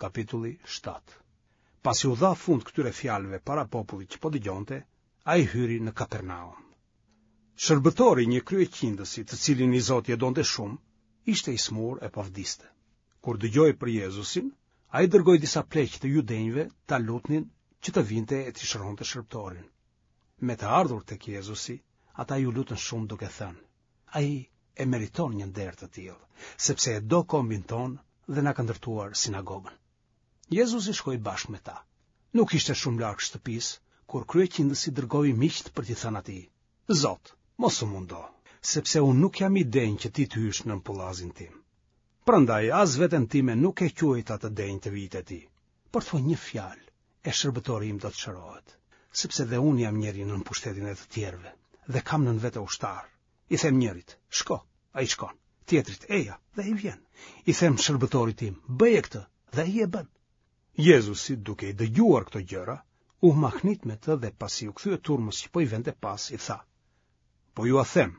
kapitulli 7. Pasi u dha fund këtyre fjalëve para popullit që po dëgjonte, ai hyri në Kapernaum. Shërbëtori i një kryeqindësi, të cilin i zoti e donte shumë, ishte i sëmurë e po vdiste. Kur dëgjoi për Jezusin, ai dërgoi disa pleq të judenjve ta lutnin që të vinte e t'i shëronte shërbëtorin. Me të ardhur tek Jezusi, ata iu lutën shumë duke thënë: Ai e meriton një nder të tillë, sepse e do kombin tonë dhe na ka ndërtuar sinagogën. Jezusi shkoi bashkë me ta. Nuk ishte shumë larg shtëpisë, kur kryeqindësi dërgoi miqtë për t'i thënë atij: Zot, mos u mundo, sepse unë nuk jam i denjë që ti të hysh nën pullazin tim. Prandaj as veten time nuk e quajta të denjë të vij te ti, por thuaj një fjalë, e shërbëtori im do të shërohet, sepse dhe unë jam njeri nën pushtetin e të tjerëve dhe kam nën vete ushtarë. I them njërit, shko, ai shkon. Tjetrit, eja, dhe ai vjen. I them shërbëtorit tim, bëje këtë, dhe ai e bën. Jezusi, duke i dëgjuar këto gjëra, u mahnit me të dhe pasi iu kthye turmës që po i vente pas, i tha: Po jua them,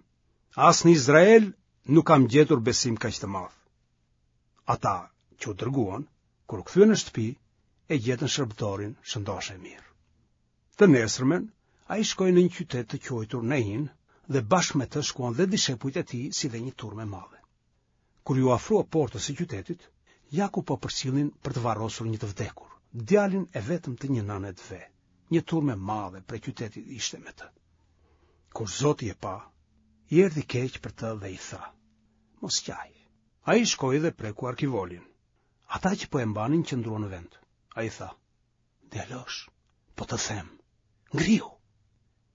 as në Izrael nuk kam gjetur besim kaq të madh. Ata që u dërguan, kur u kthyen në shtëpi, e gjetën shërbëtorin shëndoshë e mirë. Të nesërmen, ai shkoi në një qytet të quajtur Nain dhe bashkë me të shkuan dhe dishepujt e tij si dhe një turmë e madhe. Kur iu afrua portës së qytetit, ja ku po përcillnin për të varrosur një të vdekur, djalin e vetëm të një nëne të ve. Një turmë e madhe prej qytetit ishte me të. Kur Zoti e pa, i erdhi keq për të dhe i tha: Mos qaj. Ai shkoi dhe preku arkivolin. Ata që po e mbanin qëndruan në vend. Ai tha: Djalosh, po të them, ngrihu.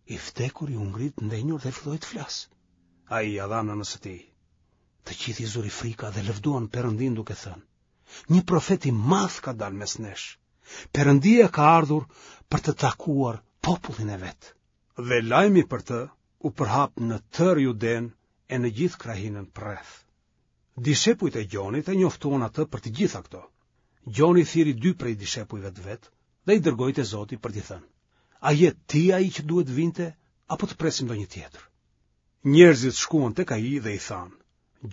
I vdekuri u ngrit ndenjur dhe filloi të flasë. Ai ia dha nënës së tij. Të gjithë i zuri frika dhe lëvduan Perëndinë duke thënë: Një profet i madh ka dalë mes nesh. Perëndia ka ardhur për të takuar popullin e vet. Dhe lajmi për të u përhap në tërë Judenë e në gjithë krahinën përreth. Dishepujt e Gjonit e njoftuan atë për të gjitha këto. Gjoni thirri dy prej dishepujve të vet dhe i dërgoi te Zoti për t'i thënë: A je ti ai që duhet të vinte apo të presim ndonjë tjetër? Njerëzit shkuan tek ai dhe i thanë: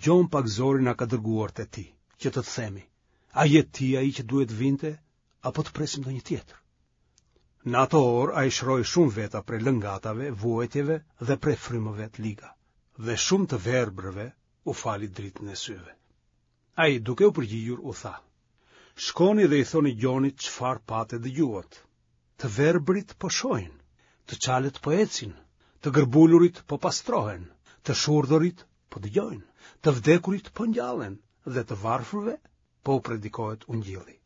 Gjon Pagëzori na ka dërguar te ti, që të të themi: A je ti ai që duhet të vinte apo të presim ndonjë tjetër? Në ato orë ai shëroi shumë veta prej lëngatave, vuajtjeve dhe prej frymëve të liga, dhe shumë të verbërve u fali dritën e syve. Ai duke u përgjigjur u tha: Shkoni dhe i thoni Gjonit çfarë patë e dëgjuat. Të verbërit po shohin, të çalët po ecin, të gërbulurit po pastrohen, të shurdhërit po dëgjojnë, të vdekurit po ngjallen dhe të varfërve po u predikohet ungjilli.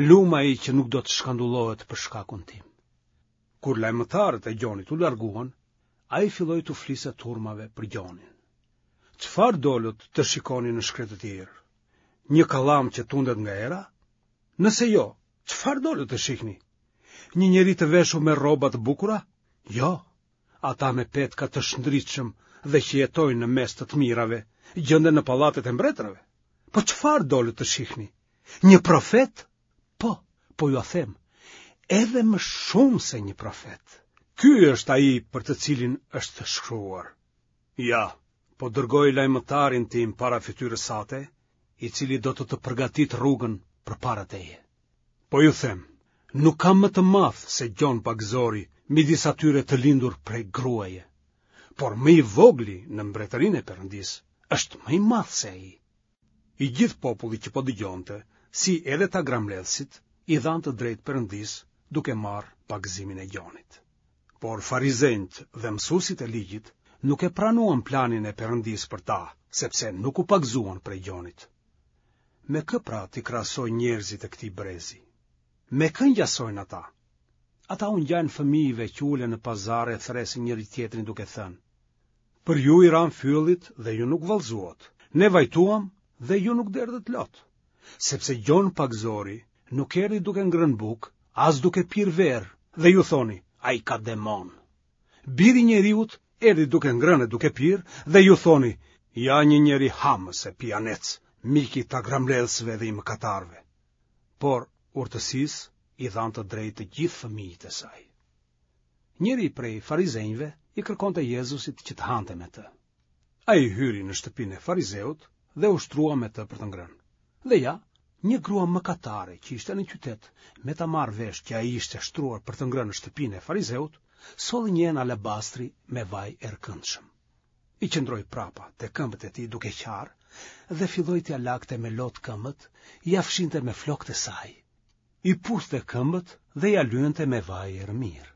Lum ai që nuk do të shkandullohet për shkakun tim. Kur lajmëtarët e Gjonit u larguan, ai filloi t'u fliste turmave për Gjonin. Çfarë dolët të shikoni në shkretëtirë? Një kallam që tundet nga era? Nëse jo, çfarë dolët të shihni? Një njeri të veshur me rroba të bukura? Jo, ata me petka të shndritshëm dhe që jetojnë në mes të të mirave, gjenden në pallatet e mbretërve. Po çfarë dolët të shihni? Një profet? Po, po jua them, edhe më shumë se një profet. Ky është ai për të cilin është shkruar. Ja, po dërgoj lajmëtarin tim para fytyrës sate, i cili do të të përgatitë rrugën përpara teje. Po ju them, nuk ka më të madh se Gjon Pagëzori midis atyre të lindur prej gruaje, por më i vogli në mbretërinë e Perëndisë është më i madh se ai. I gjithë populli që po dëgjonte, si edhe tagrambledhësit, i dhanë të drejtë Perëndisë duke marrë pagëzimin e Gjonit. Por farizenjtë dhe mësuesit e ligjit nuk e pranuan planin e Perëndisë për ta, sepse nuk u pagëzuan prej Gjonit. Me kë pra t'i krahasoj njerëzit e këtij brezi? Me kë ngjasojnë ata? Ata u ngjajnë fëmijëve që ulen në pazar e thërrasin njëri-tjetrin duke thënë: Për ju i ramë fyllit dhe ju nuk vallëzuat. Ne vajtuam dhe ju nuk derdhët lot. Sepse Gjon Pagëzori nuk erdhi duke ngrënë bukë, as duke pirë verë, dhe ju thoni, ai ka demon. Biri i njeriut erdhi duke ngrënë e duke pirë, dhe ju thoni, ja një njeri hamës e pijanec, mik i tagrambledhësve dhe i mëkatarëve. Por urtësisë i dhanë të drejtë të gjithë fëmijët e saj. Njëri prej farizenjve i kërkonte Jezusit që të hante me të. Ai hyri në shtëpinë e farizeut dhe u shtrua me të për të ngrënë. Dhe ja, Një grua mëkatare që ishte në qytet, me ta marrë vesh që ai ishte shtruar për të ngrënë në shtëpinë e farizeut, solli një enë alabastri me vaj erëkëndshëm. I qëndroi prapa te këmbët e tij duke qarë dhe filloi t'ia lagte me lot këmbët, ia fshinte me flokët e saj. I puthte këmbët dhe ia lyente me vaj erëmirë.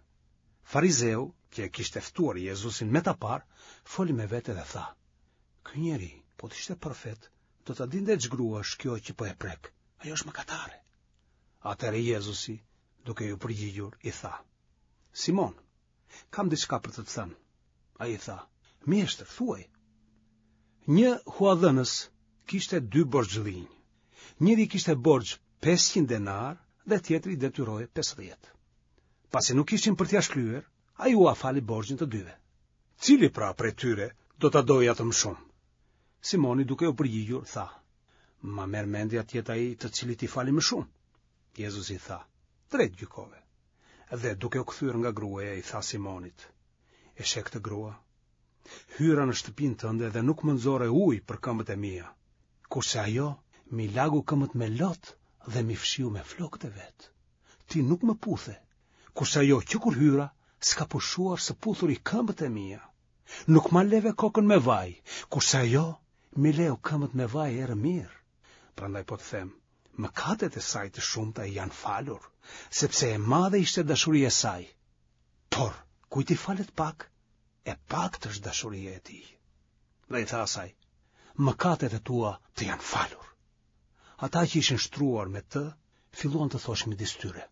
Farizeu, që e kishte ftuar Jezusin me ta parë, foli me vete dhe tha: Ky njeri, po të ishte profet, do ta dinte ç'grua është kjo që po e prek. Ajo është mëkatare. Atëherë Jezusi, duke iu përgjigjur, i tha: Simon, kam diçka për të të thënë. Ai i tha: Mjeshtër, thuaj. Një huadhënës kishte dy borxhlinj. Njëri i kishte borxh 500 denarë dhe tjetri i detyrohej 50. Pasi nuk kishin për t'ia shlyer, ai ua fali borxhin të dyve. Cili pra prej tyre do ta dojë atë më shumë? Simoni duke u përgjigjur, tha, Ma merr mendja të jetë ai të cilit i fali më shumë. Jezusi i tha, drejt gjykove. Dhe duke u kthyer nga gruaja i tha Simonit, e sheh këtë grua? Hyra në shtëpinë tënde dhe nuk më nxore ujë për këmbët e mia, kurse ajo m'i lagu këmbët me lot dhe m'i fshiu me flokët e vet. Ti nuk më puthe, kurse ajo që kur hyra s'ka pushuar së puthuri këmbët e mia. Nuk ma leve kokën me vaj, kurse ajo m'i leu këmbët me vaj erëmirë. Prandaj po të them, mëkatet e saj të shumta i janë falur, sepse e madhe ishte dashuria e saj. Por, kujt i falet pak, e paktë është dashuria e tij. Dhe i tha asaj, mëkatet e tua të janë falur. Ata që ishin shtruar me të, filluan të thoshin midis tyre,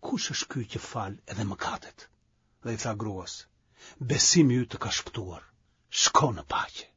kush është ky që fal edhe mëkatet? Dhe i tha gruas, besimi yt të ka shpëtuar, shko në paqe.